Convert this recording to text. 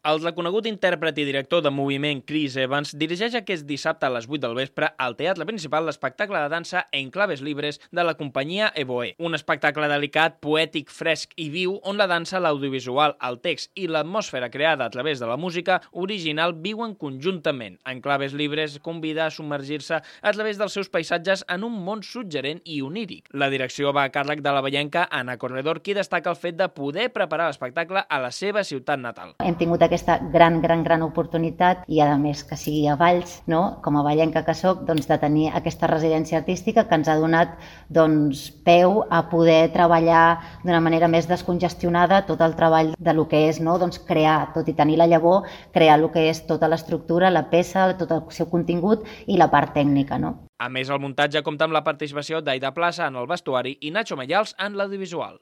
El reconegut intèrpret i director de moviment Chris Evans dirigeix aquest dissabte a les 8 del vespre al Teatre Principal l'espectacle de dansa En claves libres de la companyia Evoe. Un espectacle delicat, poètic, fresc i viu on la dansa, l'audiovisual, el text i l'atmosfera creada a través de la música original viuen conjuntament. En claves libres convida a submergir-se a través dels seus paisatges en un món suggerent i oníric. La direcció va a càrrec de la vallenca Anna Corredor, qui destaca el fet de poder preparar l'espectacle a la seva ciutat natal. Hem tingut aquesta gran oportunitat i, a més, que sigui a Valls, no? Com a vallenca que soc, doncs, de tenir aquesta residència artística que ens ha donat peu a poder treballar d'una manera més descongestionada tot el treball de lo que és, no? Doncs crear, tot i tenir la llavor, crear el que és tota l'estructura, la peça, tot el seu contingut i la part tècnica, no? A més, el muntatge compta amb la participació d'Aida Plaça en el vestuari i Nacho Mayals en l'audiovisual.